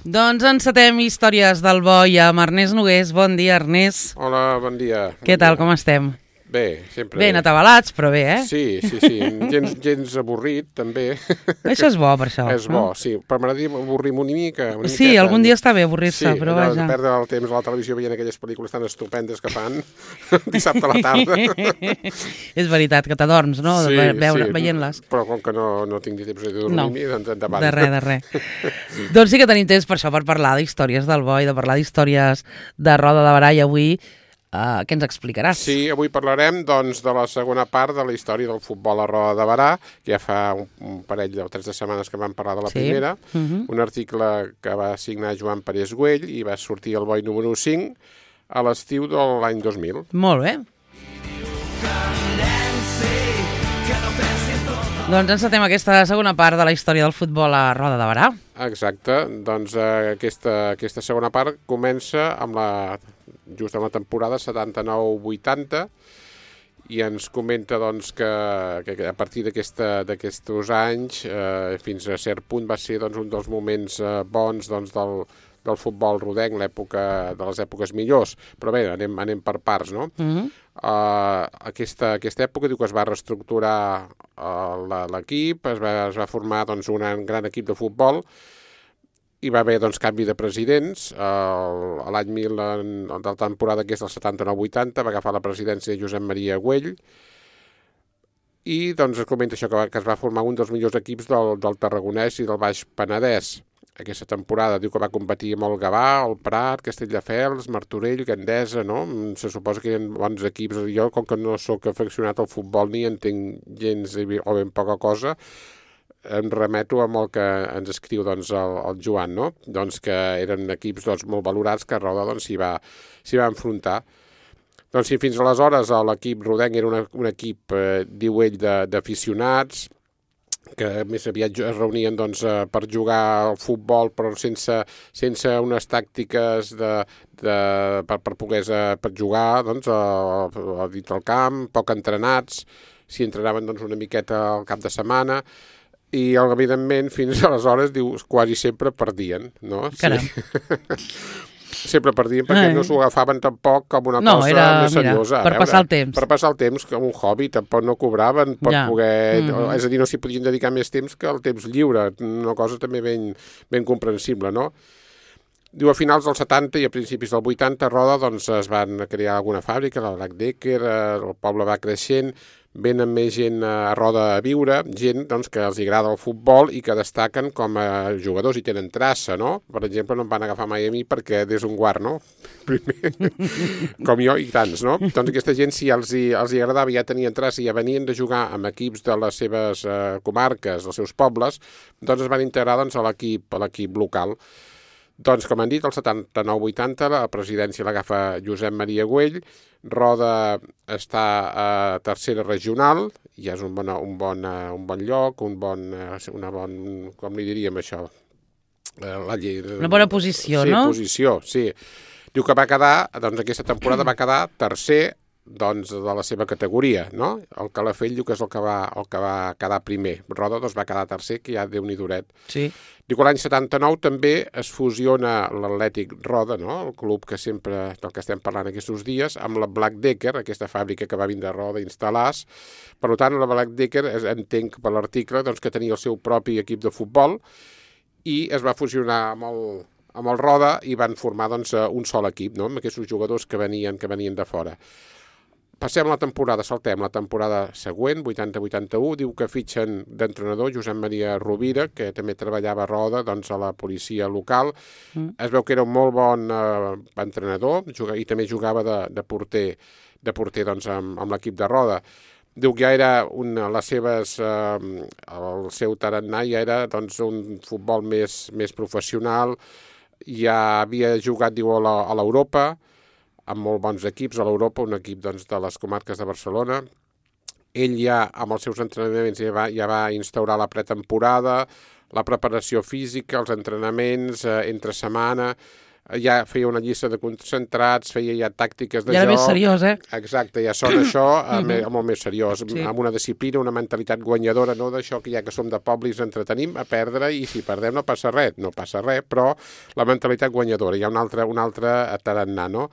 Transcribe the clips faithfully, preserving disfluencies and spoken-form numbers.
Doncs encetem històries del boi amb Ernest Nogués. Bon dia, Ernest. Hola, bon dia. Què bon tal, dia. com estem? Bé, sempre bé. Ben atabalats, però bé, eh? Sí, sí, sí. Gens, gens avorrit, també. Això és bo, per això. És no? bo, sí. Però m'agradaria avorrir-me una mica. Una sí, miqueta. Algun dia està bé avorrir-se, sí, però allò vaja. de perdre el temps a la televisió veient aquelles pel·lícules tan estupendes que fan dissabte a la tarda. És veritat, que t'adorms, no? Sí, Veure, sí. Veient-les. Però com que no, no tinc ni temps de dormir-m'hi, no. doncs endavant. De res, de res. Doncs sí que tenim temps per això, per parlar d'històries del boi, de parlar d'històries de Roda de Berà, i avui uh, què ens explicaràs? Sí, avui parlarem doncs, de la segona part de la història del futbol a Roda de Berà, que ja fa un, un parell o tres de setmanes que vam parlar de la sí. primera, uh -huh. un article que va signar Joan Parés Güell i va sortir al boi número cinc a l'estiu de l'any dos mil. Molt bé. Doncs encetem aquesta segona part de la història del futbol a Roda de Berà. Exacte, doncs eh, aquesta, aquesta segona part comença amb la, just amb la temporada setanta-nou vuitanta i ens comenta doncs, que, que a partir d'aquests anys eh, fins a cert punt va ser doncs, un dels moments eh, bons doncs, del, del futbol rodenc, l'època de les èpoques millors, però bé, anem, anem per parts, no? Uh -huh. Uh, aquesta, aquesta època diu que es va reestructurar uh, l'equip, es va, es va formar doncs, un gran equip de futbol, hi va haver doncs, canvi de presidents. Uh, l'any mil, en, en la temporada que és del setanta-nou vuitanta, va agafar la presidència Josep Maria Güell, i doncs es comenta això, que, va, que es va formar un dels millors equips del, del Tarragonès i del Baix Penedès. Aquesta temporada diu que va competir amb el Gavà, el Prat, Castelldefels, Martorell, Gandesa, no? Se suposa que eren bons equips. Jo, com que no sóc afeccionat al futbol ni entenc gens o ben poca cosa, em remeto amb el que ens escriu doncs, el, el Joan, no? Doncs que eren equips doncs, molt valorats, que a Roda doncs, s'hi va, s'hi va enfrontar. Doncs si fins aleshores l'equip rodenc era una, un equip, eh, diu ell, d'aficionats, que més aviat es reunien doncs, per jugar al futbol, però sense, sense unes tàctiques de, de, per, per poder per jugar doncs, a, a dins del camp, poc entrenats, si entrenaven doncs, una miqueta al cap de setmana, i evidentment fins aleshores diu, quasi sempre perdien, no? Caram. Sí. Sempre perdien perquè Ai. no s'ho agafaven tampoc com una no, cosa era, més seriosa. Mira, per veure, passar el temps. Per passar el temps, com un hobby, tampoc no cobraven per ja. poder... Mm -hmm. És a dir, no s'hi podien dedicar més temps que el temps lliure, una cosa també ben, ben comprensible, no? Diu, a finals dels setanta i a principis del vuitanta, a Roda doncs, es van crear alguna fàbrica, la Black Decker, el poble va creixent, venen més gent a Roda a viure, gent doncs, que els agrada el futbol i que destaquen com a jugadors i tenen traça, no? Per exemple, no em van agafar mai a mi perquè des un guard, no? Primer, com jo i tants, no? Doncs aquesta gent, si els hi, els hi agradava, ja tenien traça i ja venien de jugar amb equips de les seves eh, comarques, dels seus pobles, doncs es van integrar doncs, a l'equip a l'equip local. Doncs, com han dit, el setanta-nou vuitanta la presidència l'agafa Josep Maria Güell, Roda està a tercera regional, ja és un bon, un bon, un bon lloc, un bon, una bon, com li diríem això? La llei, una bona posició, sí, no? Sí, posició, sí. Diu que va quedar, doncs aquesta temporada va quedar tercer doncs, de la seva categoria, no? El Calafell diu que és el que va, el que va quedar primer. Roda doncs, va quedar tercer, que ja Déu-n'hi-duret. Sí. Diu que l'any setanta-nou també es fusiona l'Atlètic Roda, no? El club que sempre, del que estem parlant aquests dies, amb la Black Decker, aquesta fàbrica que va vindre a Roda a instal·lar-se. Per tant, la Black Decker, entenc per l'article, doncs, que tenia el seu propi equip de futbol i es va fusionar amb el, amb el Roda i van formar doncs, un sol equip, no? Amb aquests jugadors que venien, que venien de fora. Passem la temporada, saltem la temporada següent, vuitanta vuitanta-u, diu que fitxen d'entrenador Josep Maria Rovira, que també treballava a Roda, doncs, a la policia local. Mm. Es veu que era un molt bon eh, entrenador i també jugava de, de porter, de porter doncs, amb, amb l'equip de Roda. Diu que ja era una, les seves, eh, el seu tarannà ja era doncs, un futbol més, més professional, ja havia jugat, diu, a l'Europa, amb molt bons equips a l'Europa, un equip doncs, de les comarques de Barcelona. Ell ja, amb els seus entrenaments, ja va, ja va instaurar la pretemporada, la preparació física, els entrenaments eh, entre setmana, ja feia una llista de concentrats, feia ja tàctiques de joc... Ja era més seriós, eh? Exacte, ja sona això mm-hmm. molt més seriós, sí. amb una disciplina, una mentalitat guanyadora, no d'això que ja que som de poble i ens entretenim a perdre i si perdem no passa res, no passa res, però la mentalitat guanyadora, hi ha un altre, un altre tarannà, no?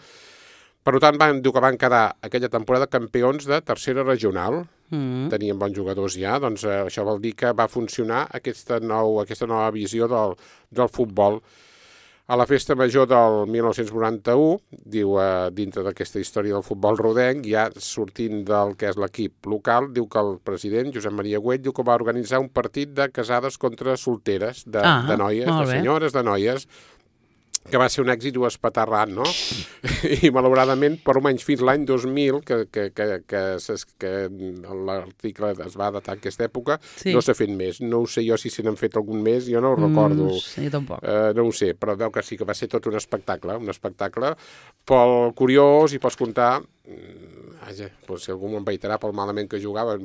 Per tant, van, diu que van quedar aquella temporada campions de tercera regional, mm. tenien bons jugadors ja, doncs eh, això vol dir que va funcionar aquesta, nou, aquesta nova visió del, del futbol. A la festa major del mil nou-cents noranta-u, diu, eh, dintre d'aquesta història del futbol rodenc, ja sortint del que és l'equip local, diu que el president, Josep Maria Güell, diu que va organitzar un partit de casades contra solteres, de, ah, de noies, de senyores, de noies, que va ser un èxit espaterrant, no? I malauradament, per almenys fins l'any dos mil, que, que, que, que, que l'article es va datar en aquesta època, sí. no s'ha fet més. No ho sé jo si se n'han fet algun més, jo no ho recordo. Mm, sí, tampoc. Uh, no ho sé, però veu que sí que va ser tot un espectacle, un espectacle pel curiós i pots comptar... Vaja, doncs si algú m'envaitarà pel malament que jugaven,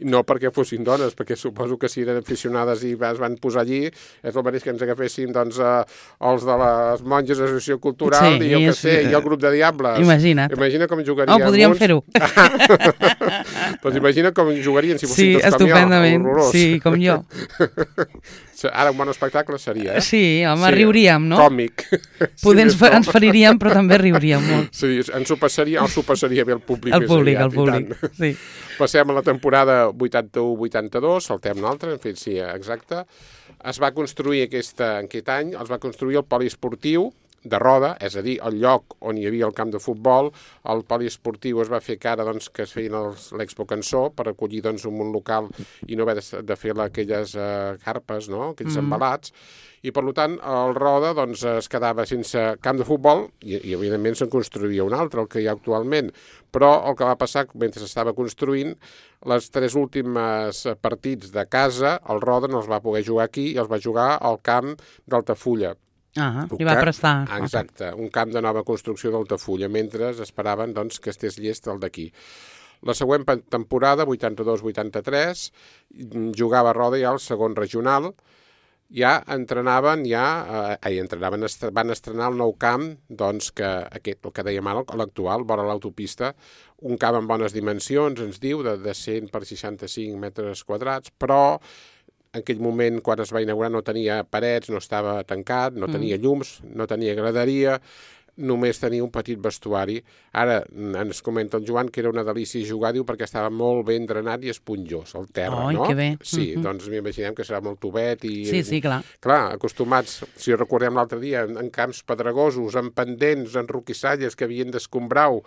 no perquè fossin dones, perquè suposo que si eren aficionades i es van posar allí, és el mateix que ens agafessin doncs, eh, els de les monges de l'associació cultural sí, i, el que sé, i el grup de diables. Imagina't. Imagina com jugarien. Oh, podríem fer-ho. Doncs imagina com jugarien si fossin sí, tots com jo. Horrorós. Sí, com jo. Ara un bon espectacle seria, eh? Sí, home, sí, riuríem, no? Còmic. Poder ens, ens feriríem, però també riuríem molt. Sí, ens ho passaria, ens ho passaria bé el públic. El públic, aviat, el públic, sí. Passem a la temporada vuitanta-u vuitanta-dos, saltem un altre, en fet, sí, exacte. Es va construir aquesta, en aquest any, es va construir el poliesportiu de Roda, és a dir, el lloc on hi havia el camp de futbol. El poliesportiu es va fer cara doncs, que es feien l'Expo Cançó per acollir doncs, un món local i no haver de, de fer aquelles uh, carpes, no? Aquells mm. embalats. I, per tant, el Roda doncs, es quedava sense camp de futbol i, i evidentment, se'n construïa un altre, el que hi ha actualment. Però el que va passar, mentre s'estava construint, les tres últimes partits de casa, el Roda no els va poder jugar aquí i els va jugar al camp d'Altafulla. Ah, li va prestar. Exacte, un camp de nova construcció d'Altafulla, mentre esperaven doncs, que estés llest el d'aquí. La següent temporada, vuitanta-dos vuitanta-tres, jugava a Roda ja al segon regional, ja entrenaven, ja, eh, entrenaven, est van estrenar el nou camp, doncs, que aquest, el que dèiem ara, l'actual, vora l'autopista, un camp amb bones dimensions, ens diu, de, de cent per seixanta-cinc metres quadrats, però en aquell moment, quan es va inaugurar, no tenia parets, no estava tancat, no tenia llums, no tenia graderia, només tenia un petit vestuari. Ara ens comenta el Joan que era una delícia jugar, diu, perquè estava molt ben drenat i esponjós, al terra, Oi, no? Que bé. Sí, mm-hmm. doncs m'imaginem que serà molt tubet i... Sí, sí, clar. Clar, acostumats, si recordem l'altre dia, en, en camps pedregosos, en pendents, en roquissalles que havien d'escombrau,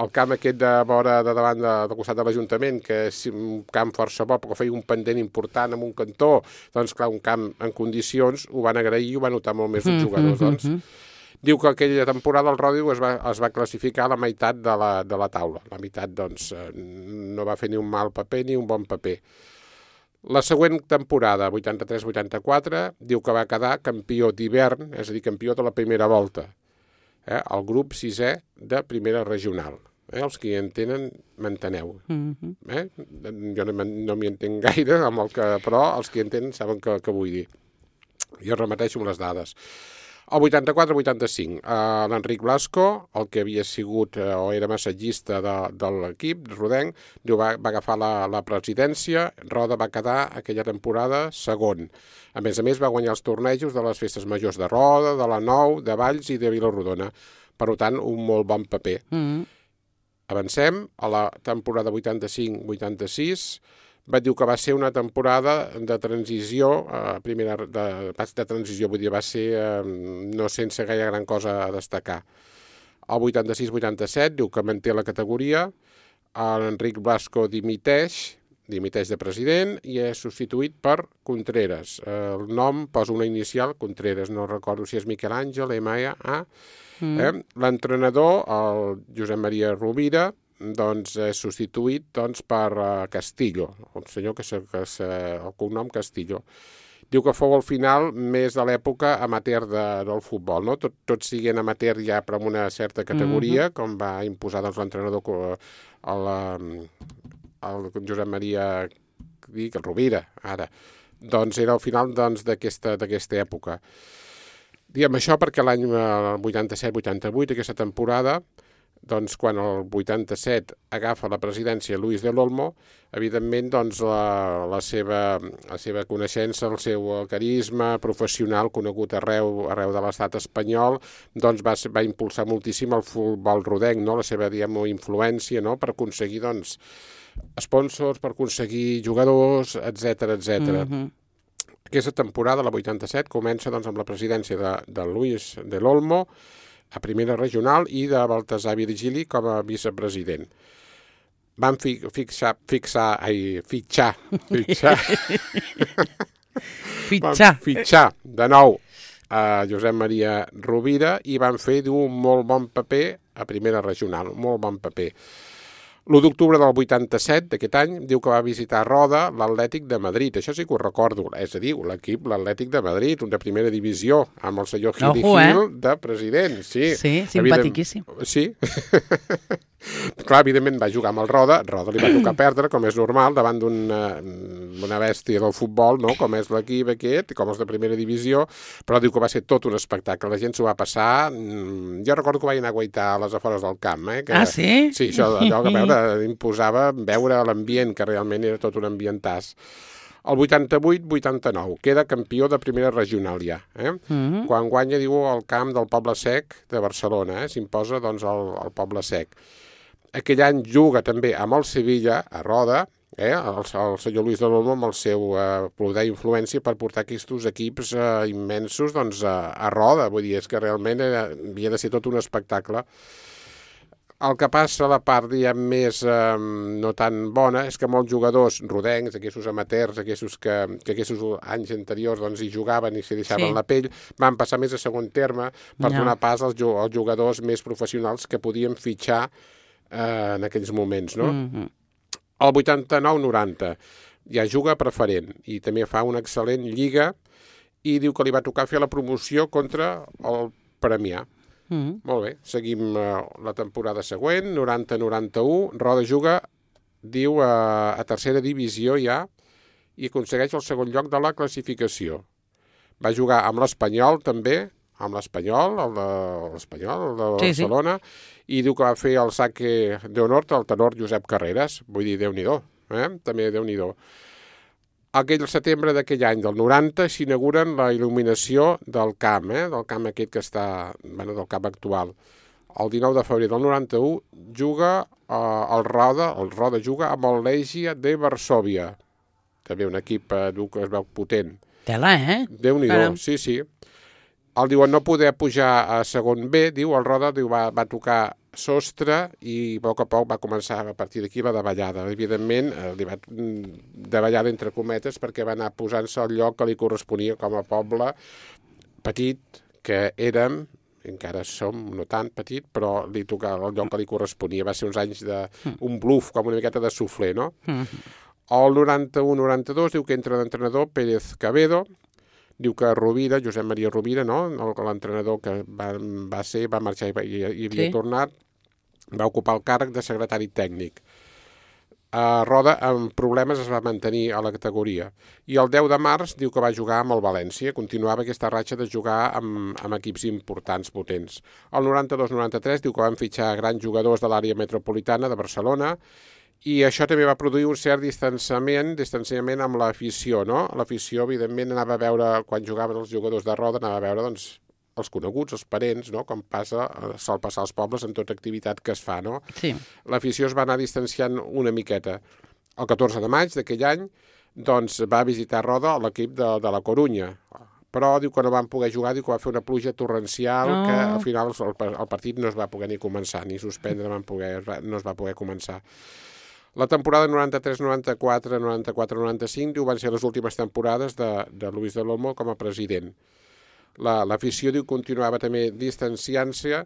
el camp aquest de vora de davant de, del costat de l'Ajuntament, que és un camp força bo, però feia un pendent important en un cantó, doncs clar, un camp en condicions, ho van agrair i ho van notar molt més els mm-hmm, jugadors, doncs. Mm-hmm. Diu que aquella temporada el Ròdio es va, es va classificar a la meitat de la, de la taula. La meitat, doncs, no va fer ni un mal paper ni un bon paper. La següent temporada, vuitanta-tres vuitanta-quatre, diu que va quedar campió d'hivern, és a dir, campió de la primera volta. Eh? El grup sisè de primera regional. Eh? Els que hi entenen, m'enteneu. Mm-hmm. eh? Jo no, no m'hi entenc gaire, amb el que, però els que hi entenen saben què, què vull dir. Jo repeteixo les dades. El vuitanta-quatre vuitanta-cinc, eh, l'Enric Blasco, el que havia sigut eh, o era massatgista de, de l'equip, rodenc, diu, va, va agafar la, la presidència, Roda va quedar aquella temporada segon. A més a més, va guanyar els tornejos de les festes majors de Roda, de la Nou, de Valls i de Vilarrodona. Per tant, un molt bon paper. Mm-hmm. Avancem a la temporada vuitanta-cinc vuitanta-sis, va dir que va ser una temporada de transició, eh, primera de, de transició, vull dir, va ser eh, no sense gaire gran cosa a destacar. El vuitanta-sis vuitanta-set diu que manté la categoria, l'Enric Blasco dimiteix, dimiteix de president i és substituït per Contreras. El nom posa una inicial, Contreras, no recordo si és Miquel Àngel, M A, mm. eh? L'entrenador, el Josep Maria Rovira, doncs és substituït doncs, per uh, Castillo, un senyor que és el cognom Castillo. Diu que fou al final més de l'època amateur de, del futbol, no? Tot, tots siguin amateur ja per una certa categoria, mm-hmm. com va imposar doncs, l'entrenador el, el Josep Maria dic, el Rovira, ara. Doncs era al final doncs, d'aquesta doncs, època. Diem això perquè l'any vuitanta-set vuitanta-vuit, aquesta temporada, doncs quan el vuitanta-set agafa la presidència Luis del Olmo, evidentment doncs, la, la, seva, la seva coneixença, el seu carisma professional conegut arreu, arreu de l'estat espanyol, doncs va, va impulsar moltíssim el futbol rodenc, no? La seva diguem, influència, no? Per aconseguir doncs, sponsors, per aconseguir jugadors, etcètera etcètera. Mm-hmm. Aquesta temporada, la vuitanta-set, comença doncs, amb la presidència de, de Luis del Olmo a primera regional i de Baltasar Virgili com a vicepresident. Van fi, fixar, fixar, ai, fitxar, fitxar, fitxar. Van fitxar de nou a Josep Maria Rovira i van fer un molt bon paper a primera regional, molt bon paper. l'u d'octubre del vuitanta-set d'aquest any diu que va visitar a Roda l'Atlètic de Madrid. Això sí que ho recordo, és a dir, l'equip, l'Atlètic de Madrid, un de primera divisió, amb el senyor Gili Ojo, Gil eh? de president. Sí, sí simpatiquíssim. Evident... Sí. Clar, evidentment va jugar amb el Roda, Roda li va tocar perdre, com és normal, davant d'una una bèstia del futbol, no? Com és l'equip aquest, com és de primera divisió, però diu que va ser tot un espectacle, la gent s'ho va passar, jo recordo que vaig anar a guaitar a les afores del camp, eh? Que, ah, sí? Sí, això allò que veure, imposava veure l'ambient, que realment era tot un ambientàs. El vuitanta-vuit vuitanta-nou, queda campió de primera regional ja. Eh? Mm-hmm. Quan guanya, diu, el camp del Poble Sec de Barcelona, eh? S'imposa doncs, el, el Poble Sec. Aquell any juga també amb el Sevilla, a Roda, eh? el, el senyor Luis del Olmo amb el seu eh, poder i influència per portar aquests equips eh, immensos doncs, a, a Roda. Vull dir, és que realment era, havia de ser tot un espectacle. El que passa, la part diguem, més eh, no tan bona, és que molts jugadors rodencs, aquests amateurs, aquests que, que aquests anys anteriors doncs, hi jugaven i s'hi deixaven sí. la pell, van passar més a segon terme per no. donar pas als, als jugadors més professionals que podien fitxar eh, en aquells moments. No? Mm-hmm. El vuitanta-nou noranta ja juga preferent i també fa una excel·lent lliga i diu que li va tocar fer la promoció contra el Premià. Mm. Molt bé, seguim uh, la temporada següent, noranta noranta-u, Roda juga, diu, uh, a tercera divisió ja i aconsegueix el segon lloc de la classificació. Va jugar amb l'Espanyol també, amb l'Espanyol, el de l'Espanyol, el de sí, Barcelona, sí. i diu que va fer el saque d'honor al tenor Josep Carreras, vull dir, Déu-n'hi-do, eh? també Déu-n'hi-do. Aquell setembre d'aquell any, del noranta, s'inauguren la il·luminació del camp, eh? del camp aquest que està, bueno, del camp actual. El dinou de febrer del noranta-u juga eh, el Roda, el Roda juga amb el Legia de Varsòvia. També un equip eh, que es veu potent. Tela, eh? Déu-n'hi-do, sí, sí. El diuen no poder pujar a segon B, diu, el Roda diu, va, va tocar sostre i a poc a poc va començar a partir d'aquí la davallada. Evidentment, li va davallada entre cometes perquè va anar posant-se al lloc que li corresponia com a poble petit que érem, encara som no tan petit, però li tocava el lloc que li corresponia. Va ser uns anys d'un bluff, com una miqueta de suflé, no? El noranta-u noranta-dos diu que entra l'entrenador Pérez Cabedo, diu que Rovira, Josep Maria Rovira, no? l'entrenador que va, va ser, va marxar i, i, i havia sí. tornat, va ocupar el càrrec de secretari tècnic. A Roda, amb problemes, es va mantenir a la categoria. I el deu de març diu que va jugar amb el València, continuava aquesta ratxa de jugar amb, amb equips importants, potents. El noranta-dos noranta-tres diu que van fitxar grans jugadors de l'àrea metropolitana de Barcelona, i això també va produir un cert distanciament, distanciament amb l'afició, no? L'afició, evidentment, anava a veure, quan jugaven els jugadors de Roda, anava a veure, doncs, els coneguts, els parents, no? Com passa, sol passar als pobles en tota activitat que es fa, no? Sí. L'afició es va anar distanciant una miqueta. El catorze de maig d'aquell any, doncs, va visitar Roda l'equip de, de la Corunya, però diu que no van poder jugar, diu que va fer una pluja torrencial, oh. que al final el, el partit no es va poder ni començar, ni suspendre, van poder, no es va poder començar. La temporada noranta-tres noranta-quatre, noranta-quatre noranta-cinc, diu, van ser les últimes temporades de, de Luis del Olmo com a president. La, l'afició, diu, continuava també distanciant-se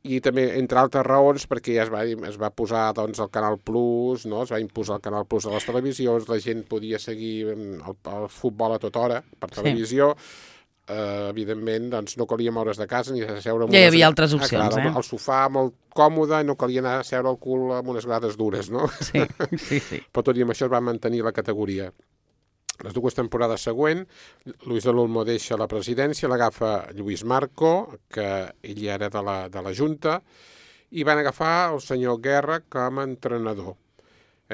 i també, entre altres raons, perquè ja es va, es va posar doncs, el Canal Plus, no? Es va imposar el Canal Plus a les televisions, la gent podia seguir el, el futbol a tota hora per televisió, sí. Uh, evidentment, doncs, no calia moure's de casa ni a seure... Ja hi havia altres opcions, ah, clar, eh? El, el sofà molt còmode, no calia anar a seure el cul amb unes grades dures, no? Sí, sí, sí. Però tot i amb això es va mantenir la categoria. Les dues temporades següents, Luis de l'Olmo deixa la presidència, l'agafa Lluís Marco, que ell era de la, de la Junta, i van agafar el senyor Guerra com a entrenador.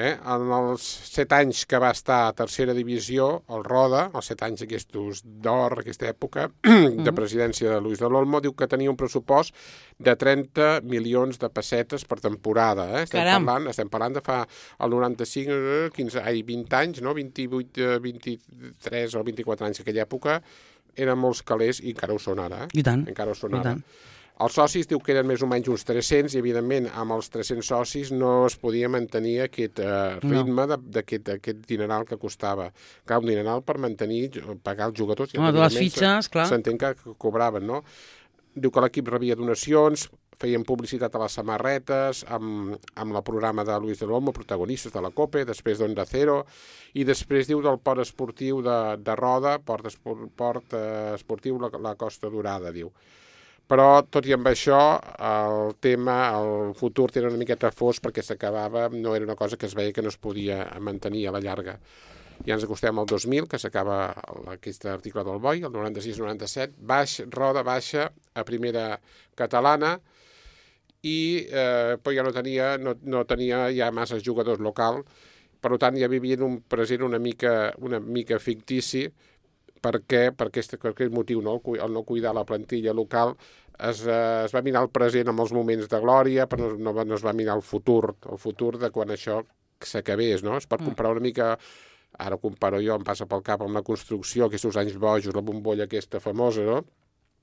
Eh? En els set anys que va estar a tercera divisió, el Roda, els set anys aquests d'or, aquesta època, de presidència de Luis de l'Olmo, diu que tenia un pressupost de trenta milions de pessetes per temporada. Eh? Estem, parlant, estem parlant de fa el noranta-cinc, quinze, ai, vint anys, no? vint-i-vuit, vint-i-tres o vint-i-quatre anys, aquella època, eren molts calés i encara ho són ara. Eh? I tant, encara ho són i ara. tant. Els socis diu que eren més o menys uns tres-cents i, evidentment, amb els tres-cents socis no es podia mantenir aquest eh, ritme no. d'aquest dineral que costava. Clar, un dineral per mantenir, pagar els jugadors. Home, de les fitxes, clar. S'entén que cobraven, no? Diu que l'equip rebia donacions, feien publicitat a les samarretes, amb, amb el programa de Luis de l'Olmo, protagonistes de la COPE, després d'Onda Cero, i després diu del port esportiu de, de Roda, port, esport, port eh, esportiu la, la Costa Dorada, diu. Però, tot i amb això, el tema, el futur era una miqueta fos perquè s'acabava, no era una cosa que es veia que no es podia mantenir a la llarga. Ja ens acostem al dos mil, que s'acaba aquest article del Boi, el noranta-sis noranta-set, baix, Roda baixa a primera catalana i eh, però ja no tenia, no, no tenia ja massa jugadors local, per tant ja vivia en un present una mica, una mica fictici, perquè per aquest, per aquest motiu, no? el, el no cuidar la plantilla local, es, eh, es va mirar el present amb els moments de glòria, però no, no, no es va mirar el futur, el futur de quan això s'acabés, no? Es pot comparar una mica, ara ho comparo jo, em passa pel cap amb la construcció, aquests anys bojos, la bombolla aquesta famosa, no?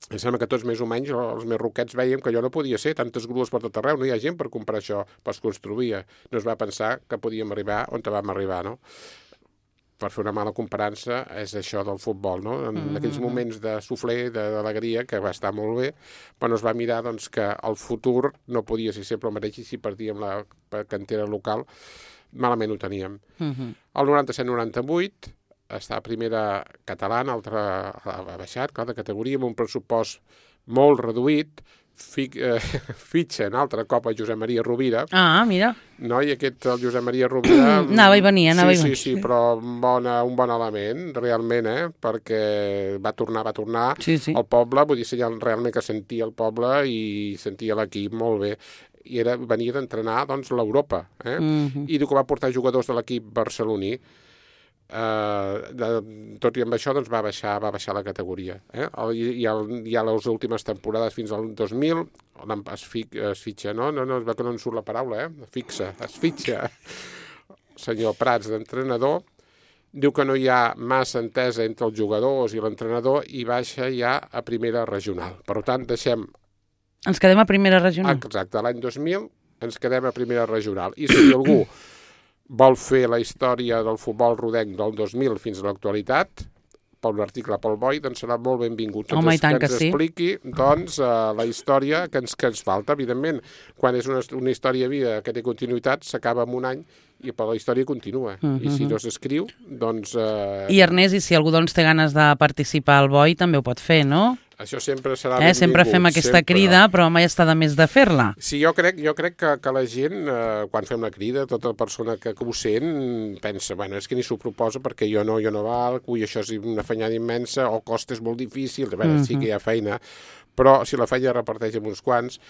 Em sembla que tots més o menys, els més roquets, veiem que allò no podia ser, tantes grues per tot arreu, no hi ha gent per comprar això, però es construïa. No es va pensar que podíem arribar on vam arribar, no? Per fer una mala comparança, és això del futbol, no? En mm-hmm. aquells moments de sufler, d'alegria, que va estar molt bé, però es va mirar doncs, que el futur no podia ser sempre el mateix i si perdíem la cantera local, malament ho teníem. Mm-hmm. El noranta-set noranta-vuit està a primera catalana, altra ha baixat, clar, de categoria, amb un pressupost molt reduït, Fic, eh, fitxa en altre cop a Josep Maria Rovira. Ah, mira. No? I aquest, el Josep Maria Rovira... anava i venia, anava sí, i venia. Sí, sí, però bona, un bon element, realment, eh? Perquè va tornar, va tornar sí, sí. al poble, vull dir, realment que sentia el poble i sentia l'equip molt bé. I era, venia d'entrenar, doncs, l'Europa, eh? Mm-hmm. I diu que va portar jugadors de l'equip barceloní. Uh, de, tot i amb això doncs va baixar, va baixar la categoria, eh? el, i, el, i a les últimes temporades fins al dos mil es, fi, es fitxa, no? No, no, es veu que no en surt la paraula, eh? Fixa, es fitxa senyor Prats d'entrenador, diu que no hi ha massa entesa entre els jugadors i l'entrenador i baixa ja a primera regional, per tant deixem ens quedem a primera regional. Exacte, l'any dos mil ens quedem a primera regional i si algú vol fer la història del futbol rodenc del dos mil fins a l'actualitat, per un article pel Boi, doncs serà molt benvingut. Home, i tant que ens sí. expliqui doncs, uh, la història que ens, que ens falta. Evidentment, quan és una, una història vida que té continuïtat, s'acaba en un any i per la història continua. Uh-huh. I si no s'escriu, doncs... Uh... I Ernest, i si algú doncs, té ganes de participar al Boi, també ho pot fer, no? Això sempre serà eh, benvingut. Sempre fem aquesta sempre. crida, però mai està de més de fer-la. Sí, jo crec, jo crec que, que la gent, eh, quan fem la crida, tota persona que, que ho sent, pensa, bueno, és que ni s'ho proposa perquè jo no, jo no valc, ui, això és una fanyada immensa, o costa és molt difícil, a veure, uh-huh. sí que hi ha feina, però si la feina reparteix amb uns quants,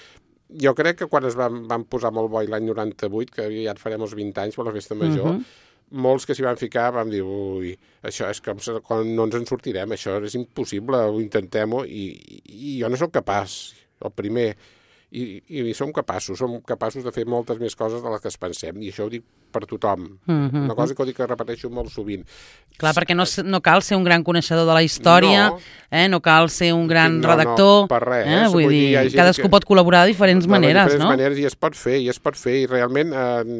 jo crec que quan es van, van posar molt Boi l'any noranta-vuit, que ja et farem els vint anys per la festa major, uh-huh. molts que s'hi van ficar vam dir, ui, això és com quan no ens en sortirem, això és impossible, ho intentem-ho, i, i jo no sóc capaç, el primer, i, i som capaços, som capaços de fer moltes més coses de les que es pensem, i això ho dic per tothom. Mm-hmm. Una cosa que ho dic que repeteixo molt sovint. Clar, perquè no, no cal ser un gran coneixedor de la història, no, eh? No cal ser un gran no, redactor. No, per res. Eh? Vull, Vull dir, dir cadascú que... pot col·laborar de diferents de maneres, diferents no? maneres, i es pot fer, i es pot fer, i realment eh,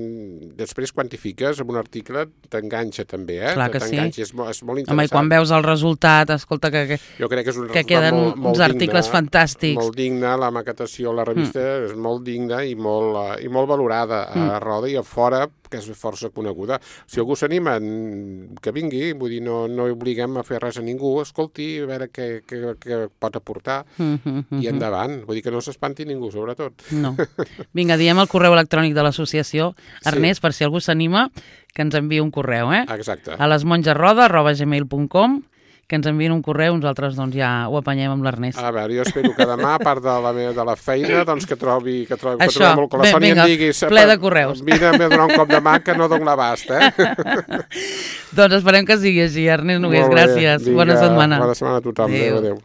després quantifiques amb un article t'enganxa també, eh? Clar que sí. És, mo és molt interessant. Home, i quan veus el resultat, escolta, que, que, jo crec que, és un que queden molt, molt uns digne, articles fantàstics. Molt digne, la maquetació, la revista mm. és molt digna i molt, uh, i molt valorada a mm. Roda i a fora, que és força coneguda. Si algú s'anima, que vingui, vull dir, no, no obliguem a fer res a ningú, escolti, a veure què, què, què pot aportar, mm -hmm. i endavant. Vull dir que no s'espanti ningú, sobretot. No. Vinga, diem el correu electrònic de l'associació, Ernest, sí. per si algú s'anima, que ens enviï un correu, eh? Exacte. A lesmongesroda arroba gmail punt com, que ens enviïn un correu, nosaltres doncs ja ho apanyem amb l'Ernest. A veure, jo espero que demà, a part de la, meva, de la feina, doncs que trobi, que trobi, Això, que trobi molt, que la ben, Sònia vinga, em digui... ple de correus. Mira, m'he donat un cop de mà que no dono l'abast, eh? Doncs esperem que sigui així, Ernest Nogués, Molt bé, gràcies, vinga, bona setmana. Bona setmana a tothom, adéu, adéu.